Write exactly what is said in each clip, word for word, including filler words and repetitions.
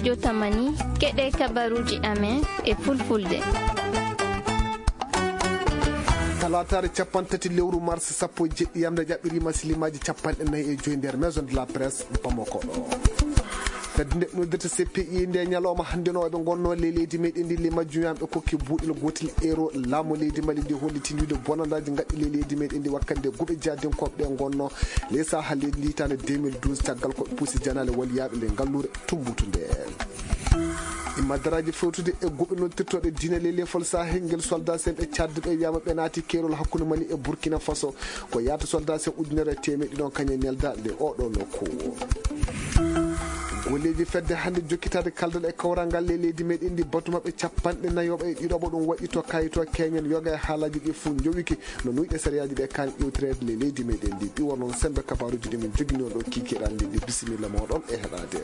Jotamani, keɗe kabaruji amen e fulfulde. Talaataare capanɗe tati lewru mars sappo e jeɗɗi yamde jaɓɓiriima silimaaji capanɗe nayi e joyi nder Maison de la Presse Bamako ɗo. Fedde nde noddirta C P I nde ñalawma hannde no ɓe ngonno le leydi meɗen ndi le majjum yam ɓe kokki buuɗel gootel euro laamu leydi Mali ndi holliti ndi bonandaaji ngaɗɗi le leydi meɗen ndi wakkande guɓe jaadinkooɓe ɗe ngonno le Sahel leydi ndi hitaande deux mille douze caggal ko ɓe pusi janaale waliyaaɓe le ngalluure Tumbutu nde. Imma daraaji fewtude e guɓe noddirtooɗe diine le lefol Sahel ngel soldat sen ɓe cadde ɓe wiyama ɓe naati keerol hakkunde Mali e Burkina Faso ko yaata soldat sen ujunere e teemeɗɗi ɗon kañe nelda nde oɗo nokku. Golleeji fedde hannde jokkitaade kaldal e kawrangal le leydi meɗen ndi batu maɓɓe capanɗe nayoɓe e ɗiɗoɓo ɗum waɗi to kayito keñen yoga e haalaji ɗi fof njowiki no nuyɗe sariyaaji ɗe kan ƴewtireede le leydi meɗen ndi ɗi won noon sembe kabaruji ɗi min jogini on ɗo kikiɗan ndi ɗi bisimilla moɗon e heɗaade.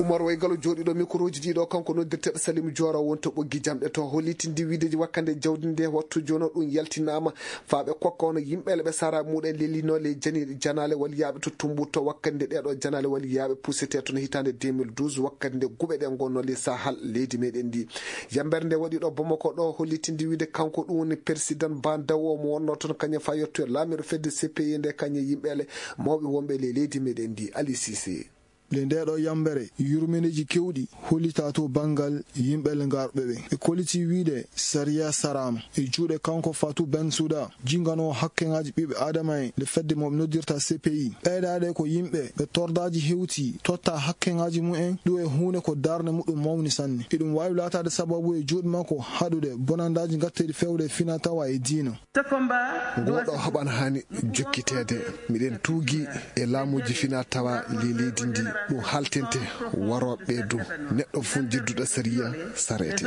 Umar Waygalo jooɗiɗo mikroji ɗiɗo kanko noddirteɗo Salim Joora won to ɓoggi jamɗe to hollitindi wiideji wakkande jawdi nde wattu jono ɗum yaltinama faa ɓe kokka hono yimɓe le ɓe sara muɗen lelino le jani janaale waliyaaɓe to Tumbutu wakkande ɗeɗo janaale waliyaaɓe pusete toon hitaande deux mille douze wakkande guɓe ɗe ngonno le Sahel leydi meɗen ndi. Yambere nde waɗi ɗo Bamako ɗo hollitindi wiide kanko ɗum woni persidan ba dawo mo wonno toon kañum fa yettoyo laamiɗo fedde C P I nde kañum yimɓe le mawɓe wonɓe le leydi meɗen ndi Ali Sise. Le ndeɗo yambere yurmeneji kewɗi hollita to bangal yimɓe le ngarɓe ɓe e koliti wiide sariya sarama e juuɗe kanko Fatou Bensouda jingano hakkeŋaji ɓiɓɓe adama en le fedde mo noddirta C P I ɓeyɗaɗe ko yimɓe ɓe tordaji hewti totta hakkeŋaji mumen ɗum e hunde ko darde muɗum mawni sanne eɗum wawi latade sababu e juuɗe makko haɗude bonandaji gatteɗi fewde fina tawa e diina. Ngoo ɗoo haɓan haani jokkiteede. Miɗen tuugii e laamuuji finaa-tawaa ley leydi ndii, ɗum haaltinte warooɓe ɓee du. Neɗɗo fof jedduɗo sariya sareete.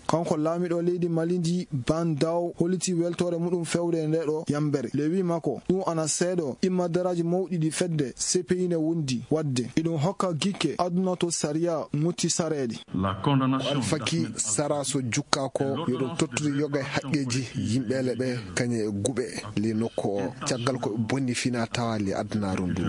Kanko laamiɗo leydi Mali ndii, Ban Daw, hollitii weltoore muɗum fewde e ndee ɗoo yambere. Ley wii makko, ɗum ana seeɗoo immadaraaji mawɗi ɗi fedde C P I ne wondi waɗde. Iɗum hokka gikke aduna to sariya mutti sareede. Ko Alfaki Sara so jukkaa ko, yo ɗum tottude yoga e haqqeeji yimɓeele ɓe, kañe e guɓe ley nokku o, caggal ko ɓe bonni finaa tawaa ley adunaaru ndu.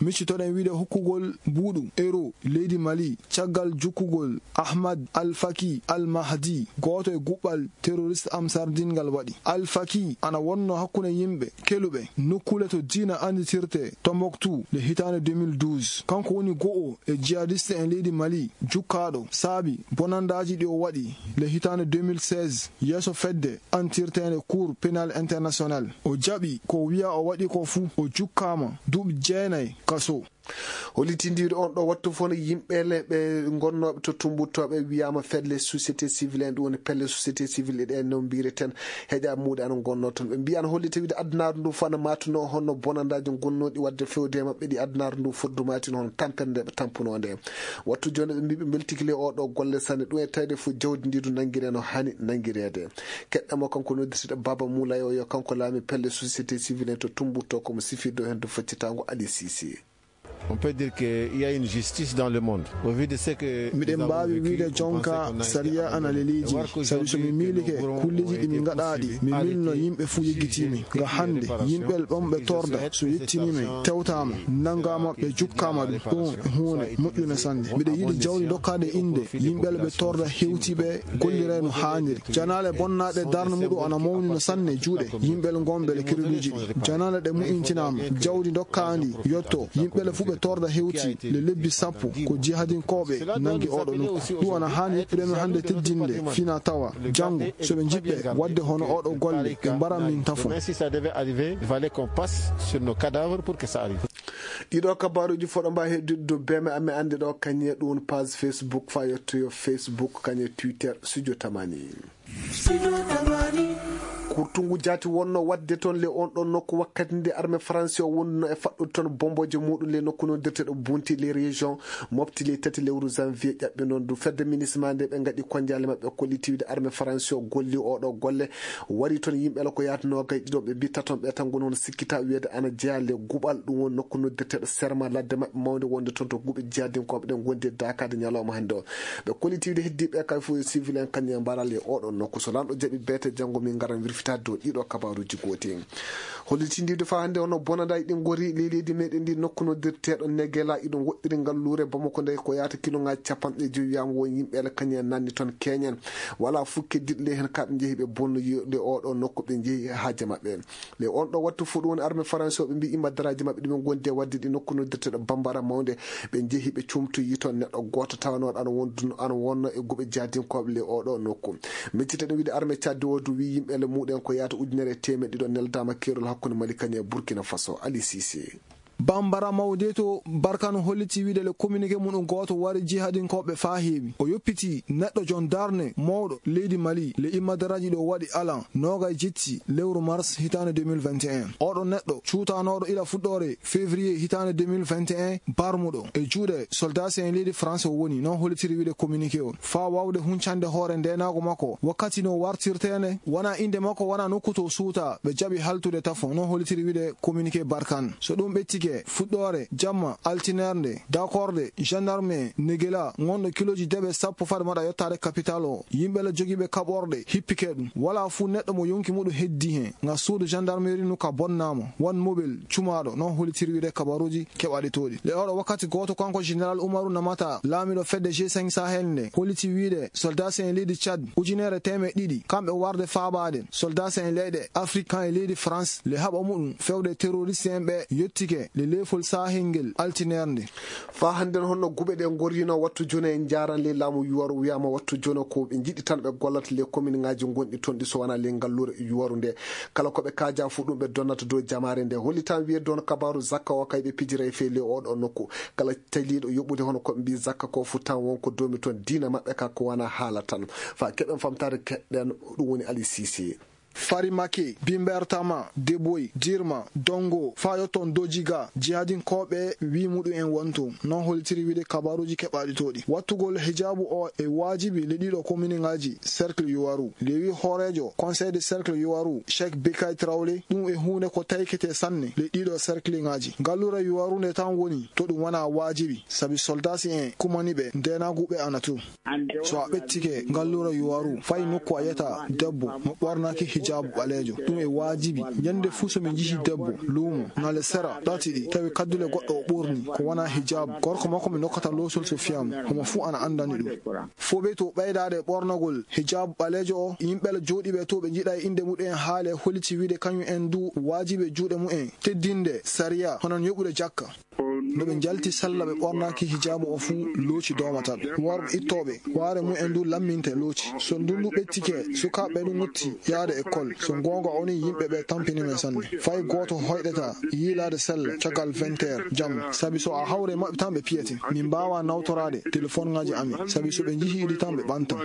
Miccitoɗen wiide hokkugol mbuuɗu euro leydi Mali caggal jukkugol Ahmad Alfaki Al Mahdi, gooto e guɓɓal terroriste Amsardin ngal waɗi. Alfaki ana wonno hakkunde yimɓe keluɓe nokkuule to diina annditirte Tombouctou le hitaande deux mille douze. Kanko woni go'o e jihadiste en leydi Mali jukkaaɗo saabi bonandaaji ɗi o waɗi le hitaande deux mille seize yeeso fedde antirteende Cour pénal international. O jaɓi ko wiya o waɗi ko fuu. O jukkaama duuɓi jeenayi kaso. Hollitindiiɗo on ɗo wattu fof no yimɓe le ɓe ngonnooɓe to tumbuttooɓe wiyaama fedde société civile en, ɗum woni pelle société civile ɗe no mbiyireten heƴa muuɗe ana ngonnoo toon. Ɓe mbiyi ana hollita wiide adunaaru ndu fof ana maatunoo honno bonandaaji ngonnooɗi waɗde fewde e maɓɓe ɗi adunaaru ndu foddu maatino hono tampere nde ɓe tampunoo nde. Wattu jooni ɓe mbii ɓe mbeltiki le oo ɗo golle sanne, ɗum e tawde fof jawdi ndi du nanngiree no haani nanngireede. Keɗɗa mo kanko noddirteɗo Baba Moulay o yo kanko laami pelle société civile en to Tumbutto, ko mo sifirɗo heen to faccitaango Ali Cissé. On peut dire qu'il y a une justice dans le monde. Au vu de ce que Miɗen mbaawi wiide jonka sariya ana leliji, sabi so mi miilike kulleji ɗi min ngaɗaaɗi, mi miilno yimɓe fuu yeggitiimi. Nga hannde, yimɓe ɓen ɓe torda, so yettiniima, tewtaama, nanngaama, ɓe jukkaama ɗum. Ɗum huunde moƴƴunde sanne. Miɗo yiɗi jawdi dokkaade innde yimɓe ɓe torda hewtiiɓe golliree no haaniri. Janaale bonnaaɗe darnde muɗum ana mawni no sanne juuɗe yimɓe ngonɓe le kereluuji ɗi. Janaale ɗe mu'intinaama, jawdi dokkaandi yotto, yimɓe le fuu ɓe torda hewti le lebbi sappo ko jihadinkooɓe nanngi oɗo nokku. Ɗum ana haani yettude men hannde teddinde fina tawa janngo so ɓe njiɗɓe waɗde hono oɗo golle ɓe mbaran min tafo. Même si ça devait arriver, il fallait qu'on passe sur nos cadavres pour que ça arrive. Ɗiɗo kabaruuji foɗo mba heddude dow beeme amen annde ɗo kañe ɗum page Facebook fa yettoyo Facebook kañe Twitter Studio Tamani. Kurtungu jaati wonno waɗde toon le on ɗon nokku wakkati nde armée français o wonduno e faɗɗude toon bomboje muɗum le nokku noddirteɗo Bunti le région Mopti le tati lewru janvier ƴaɓɓe noon du fedde minisma nde ɓe ngaɗi konjaale maɓɓe kollitiwde armée français o golli oɗo golle wari toon yimɓe la ko yaata noogay ɗiɗo ɓe mbitta toon ɓe tan ngoni hono sikkita wiyeede ana jeya le guɓal ɗum woni nokku noddirteɗo serma ladde maɓɓe mawde wonde toon to guɓe jihadinkooɓe ɗen gondi e daakaade ñalawma hannde o. Ɓe kollitiwde heddiiɓe kay fof yo civil en kañum e mbaral e oɗo nokku so lanɗo jaɓi beete janngo min ngaran wir Fitaade dow ɗiɗo kabaruuji gooti. Hollitindiiɗo faa hannde hono bonandaaji ɗi ngori ley leydi meɗen ndi, nokku noddirteeɗo Negela, iɗum woɗɗiri ngalluure Bamako nde ko yaata kiloŋaaji capanɗe jowi, wiyaama won yimɓe ele kañum en nanni toon keeñen. Walaa fof keddiiɗo ley heen, kamɓe njehi ɓe bonnoyi ley oo ɗoo nokku, ɓe njehi haaje maɓɓe. Ley oon ɗoo wattu fof ɗum woni armée faransi o, ɓe mbii imma daraaji maɓɓe ɗi ɓe ngondi e waɗde ɗi nokku noddirteeɗo Bambara Mawnde, ɓe njehi ɓe cumtoyi toon neɗɗo gooto tawanooɗo ana wonduno, ana wonno e guɓe jihadinkooɓe ley oo ɗoo nokku. Miccitaɗen wiide armée Tchad o du wi yimɓe ele muɗen ko yaata ujunere e teemeɗɗe ɗiɗo neldaama keerol hakkunde Mali kañum e Burkina Faso. Ali Cissé. Bambara Mawde to Barkano holliti wiide le communiqué mum ɗum gooto wari jihadinkooɓe faa heewi. O yoppiti neɗɗo gendarme mawɗo leydi Mali le imma daraaji ɗo waɗi alan noogay jetti lewru mars hitaande deux mille vingt et un. Oɗo neɗɗo cuutanooɗo ila fuɗɗoore février hitaande deux mille vingt et un, barmuɗo e juuɗe soldaasi en leydi France o woni, noon hollitiri wiide communiqué o. Faa waawde huncande hoore ndeenaagu makko wakkati no wartirteende, wonaa innde makko, wonaa nokku to suuta, ɓe jaɓi haltude tafo, noon hollitiri wiide communiqué Barkhane. So ɗum ɓettike, fuɗɗoore jamma altineerde, dakorde gendarme Negela, ngonɗo kilooji deɓe sappo fade maɗa yottaade kapital o, yimɓe la jogiiɓe kaɓorɗe hippike ɗum. Walaa fuu neɗɗo mo yonki muɗum heddii heen. Nga suudu gendarmerie nu ka bonnaama, wan mobel cumaaɗo, noon hollitiri wiide kabaruuji keɓaaɗi tooɗi. Le oɗo wakkati gooto kanko Général Umaru Namata, laamiiɗo fedde G cinq Sahel nde, holliti wiide soldaasi en leydi Tchad ujunere teemeɗɗe ɗiɗi, kamɓe warde faabaade soldaasi en leyɗe Afrique kan e leydi France, le haɓa muɗum fewde terroriste en ɓe yottike le leefol Sahel ngel altineerde. Faa hannden honno guɓe ɗe ngorrino wattu jooni e njaaran ley laamu Yuwaru, wiyaama wattu jooni ko ɓe njiɗi tan ɓe gollata ley kominŋaaji ngonɗi toon ɗi so wonaa ley ngalluure Yuwaru nde. Kala ko ɓe kaaja fuu ɗum ɓe donnata dow jamaare nde. Hollitaan wiyeede hono kabaaru zakka o kay ɓe pijira e fee ley oo ɗoo nokku. Kala taliiɗo yoɓude hono ko ɓe mbii zakka ko fuu tan won ko doomi toon diina maɓɓe ka ko wonaa haala tan. Faa keɓen famtaade keɗɗen ɗum woni Ali Cissé. Farimake, Bimbertama, Deboy, Dirma, Dongo, faa yotton Dojiga, jihadinkooɓe wii muɗum en wonto. Noon hollitiri wiide kabaruuji keɓaaɗi tooɗi. Wattugol hijaabu o e waajibi le ɗiɗo kominŋaaji cercle Yuwaru. Le wii hooreejo Conseil de cercle Yuwaru, Cheikh Bekay Traoré, ɗum e huunde ko taykete sanne le ɗiɗo cercleŋaaji. Ngalluure Yuwaru nde tan woni to ɗum wonaa waajibi, sabi soldaasi en kumani ɓe ndeenaagu ɓe ana to. So a ɓettike ngalluure Yuwaru, fay nokku a yiyata debbo mo ɓornaaki hijaabu ɓaleejo. Ɗum e waajibi. Ñande fuu so mi njihii debbo luumo, ñale sera tati ɗi, tawi kaddule goɗɗo o ɓorni ko wonaa hijaabu, gorko makko mi nokkata loosol so fiyaama, homo fuu ana anndani ɗum. Fooɓe to ɓeydaade ɓornagol hijaabu ɓaleejo o, yimɓe la jooɗiiɓe to ɓe njiɗaa innde muɗum en haale holliti wiide kañum en du waajibi e juuɗe mumen teddinde sariya, hono no yoɓude jakka. No ɓe njalti sella ɓe ɓornaaki hijaabu o fuu, looci doomata ɓe. Worɓe ittooɓe waare mumen du lamminte looci. So ndunndu ɓettike, sukaaɓe ɓe du ngotti yaade ekkol. So goonga o ni, yimɓe ɓe tampini men sanne. Fay gooto hoyɗata yiilaade sella caggal vingt heures jamma. Sabi so a hawre maɓɓe tan ɓe piyete. Min mbaawaa nawtoraade telefonŋaaji amin. Sabi so ɓe njihii ɗi tan ɓe ɓantan.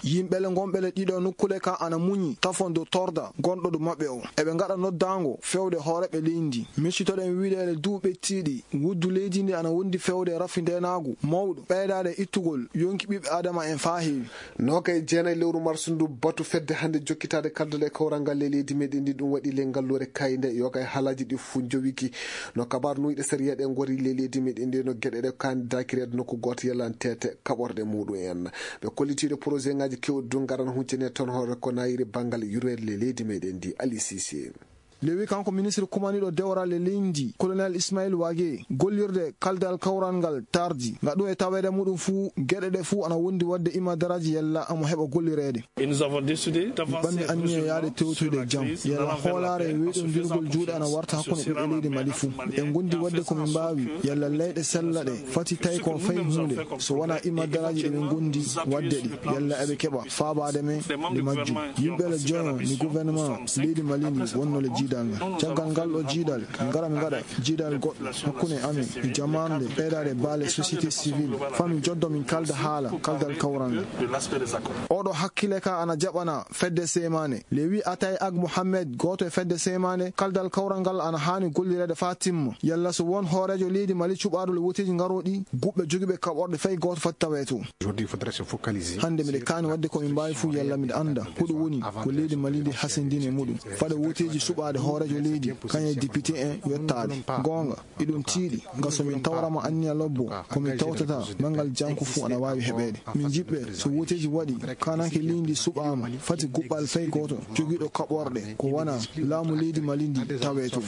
Yimɓe le ngonɓe le ɗiɗo nokkule ka ana muñi tafon dow torda gonɗo dow maɓɓe o. Eɓe ngaɗa noddaango fewde hooreeɓe leydi ndi. Miccitoɗen wiideele duu ɓettiiɗi wuddu leydi ndi ana wondi fewde rafi ndeenaagu mawɗo, ɓeydaade ittugol yonki ɓiɓɓe Aadama en faa heewi. Noogay e jeenayi lewru mars ndu, batu fedde hannde jokkitaade kaldal e kawral ngal ley leydi meɗen ndi, ɗum waɗi ley ngalluure Kayde, yoga e haalaaji ɗi fuu njowiki. No kabaar nuyɗe sariya ɗe ngori ley leydi meɗen ndi, no geɗe ɗe kaani daakireede nokku gooto yalantete kaɓorɗe muɗum en. Ɓe kollitiiɗo projet ŋaaji keewɗi du ngaran huncine toon hoore ko naayiri banngal yurmeede ley leydi meɗen ndi, Ali Cissé. Lewi kanko ministre kumaniiɗo dewral e leydi, Colonel Ismail Wage, gollirde kaldal kawral ngal tardi. Nga ɗum e taweede muɗum fuu, geɗe ɗe fuu ana wondi waɗde imadaraaji yalla amo heɓa gollireede. Et nous avons décidé Mi ɓanmi anniya yaade tewtoyde jam. Yalla hoolaare e weyɗondirgol juuɗe ana warta hakkunde ɓiɓɓe leydi Mali fuu. En ngondi waɗde ko min mbaawi. Yalla leyɗe sella ɗe fati tawi ko fay huunde. So wonaa imadaraaji ɗe min ngondi waɗde ɗi. Yalla eɓe keɓa faabaade men e majjum. Yimɓe le joño ni gouvernement leydi Mali ndi wonno le jiidal ngal. Caggal ngal ɗo jiidal, min ngara min ngaɗa jiidal goɗɗo hakkunde amin e jamaande ɓeydaade baale société civile. Faa min joddo min kalda haala kaldal kawral ngal. Oɗo hakkile ka ana jaɓana fedde seemaane. Lewi Atay Ag Mohamed, gooto e fedde seemaane, kaldal kawral ngal ana haani gollireede faa timma. Yalla so won hooreejo leydi Mali cuɓaaɗo le woteeji ngarooɗi, guɓɓe jogiiɓe kaɓorɗe fay gooto foti tawee to. Hannde miɗe kaani waɗde ko min mbaawi fuu yalla miɗa annda ko ɗum woni ko leydi Mali ndi hasindini e muɗum. Fade woteeji suɓaade Hooreejo leydi kañum e député en yottaade. Goonga, iɗum tiiɗi, nga so min tawrama anniya lobbo, ko min tawtata manngal janko fuu ana waawi heɓeede. Min njiɗɓe, so wooteeji waɗi, kaananke leydi suɓaama, fati guɓɓal fay gooto jogiiɗo kaɓorɗe ko wona laamu leydi Mali ndi tawee toon.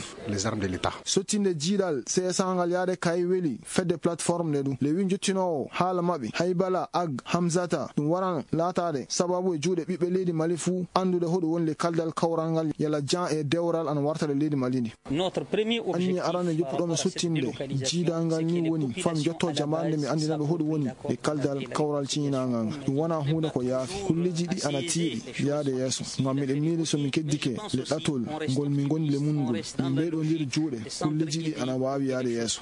Sottinde jiiɗal C S A ngal yaade kay weli fedde plateforme nde ɗum. Lewi njottinoowo haala maɓɓe, Haybala Ag Hamzata, ɗum waran laataade sababu e juuɗe ɓiɓɓe leydi Mali fuu anndude hoɗum woni le kaldal kawral ngal yala jan e dewral ana warta le leydi Mali ndi. Anniya arande joppuɗo mi sottinde jiidal ngal ni woni fam jotto jamaande mi anndina ɓe hoɗum woni le kaldal kawral ciñinaangal ngal. Ɗum wona huunde ko yaafi. Kulleeji ɗi ana tiiɗi yaade yeeso. Ngam miɗen miili so min keddike le ɗatol ngol min ngoni le mun ngol, min ɓeyɗondiri juuɗe, kulleeji ɗi ana waawi yaade yeeso.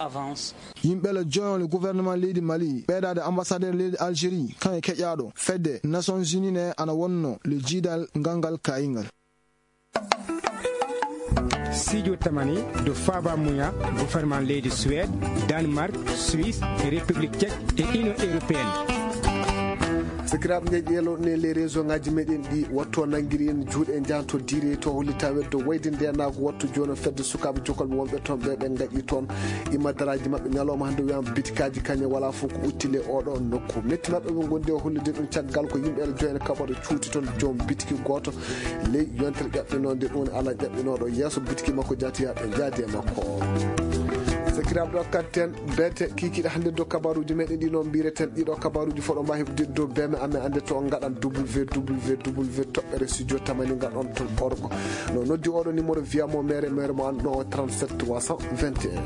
Yimɓe le joyon le gouvernement leydi Mali, ɓeydaade ambassadeur leydi Algérie, kan e keƴaaɗo fedde Nations Unies ne ana wonno le jiidal ngal ngal kayingal. Studio Tamani do Faba Muya, gouvernement leydi Suède, Danemark, Suisse, e République Tchèque e Union Européenne. Sakiraaɓe, nde ƴeelo ne les réseau ngaji meɗen ɗi, wattu o nangiri en juuɗe, en jahanto diire to hollita weddo wayde ndenaagu, wattu jooni o fedde sukaaɓe jokolɓe wonɓe toon ɓe, ɓe ngaƴi toon imadaraaji maɓɓe ñalawma hannde, wiyama bitikaaji kañe wala fof ko uttile oɗo nokku. Metti maɓɓe ɓe ngondi o hollude ɗum caggal ko yimɓe ene joyna kaɓoto cuuti toon joom bitiki gooto ley yontere ƴaɓɓinoonde ɗum, ala ƴaɓɓinooɗo yeeso bitiki makko jaati haa ɓe njaadi e makko. Sakiraaɓe, ɗo kadten beete kikiɗe hannde dow kabaruuji meɗen ɗi, noon mbireten ɗiɗo kabaruuji fof ɗo mbawi heɓde dow beme amen, annde to on ngaɗan www toɓɓere studio tamani ngaɗon toon orgo. No noddi oɗo numéro, wiyamo mere, mere mo an ɗo o trente-sept trois cent vingt et un.